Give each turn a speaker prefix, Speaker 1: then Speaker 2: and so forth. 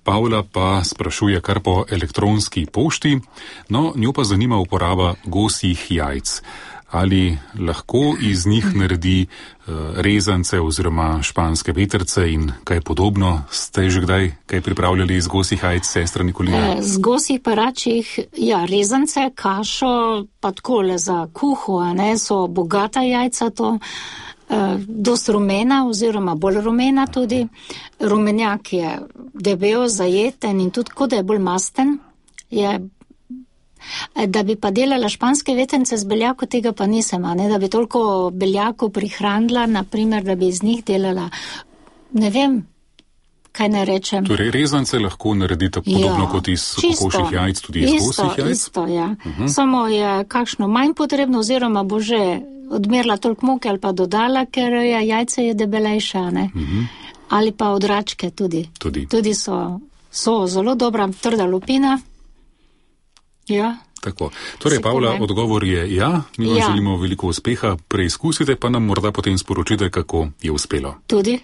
Speaker 1: Pavla pa sprašuje kar po elektronski pošti, no, njo pa zanima uporaba gosjih jajc. Ali lahko iz njih naredi rezance oziroma španske vetrce in kaj podobno? Ste že kdaj kaj pripravljali iz gosjih jajc, sestra Nikolina?
Speaker 2: Z gosjih paračjih, ja, rezance, kašo, pa takole za kuho, a ne, so bogata jajca to, dost rumena oziroma bolj rumena tudi. Rumenjak je debel, zajeten in tudi kot da je bolj masten, je. Da bi pa delala španske vetrnice z beljako, tega pa nisem, a ne, da bi toliko beljako prihranila, naprimer, da bi iz njih delala, ne vem, kaj ne rečem.
Speaker 1: Torej, rezance lahko naredite podobno kot iz kokošjih jajc, tudi iz gosjih jajc?
Speaker 2: Isto, ja. Samo je kakšno manj potrebno, oziroma bo že odmerila toliko moke ali pa dodala, ker jajce je debelejša, ne. Ali pa od račke tudi. Tudi so zelo dobra, trda lupina. Ja.
Speaker 1: Tako. Torej, Pavla, odgovor je ja, mi vam želimo veliko uspeha, preizkusite pa nam morda potem sporočite, kako je uspelo.
Speaker 2: Tudi.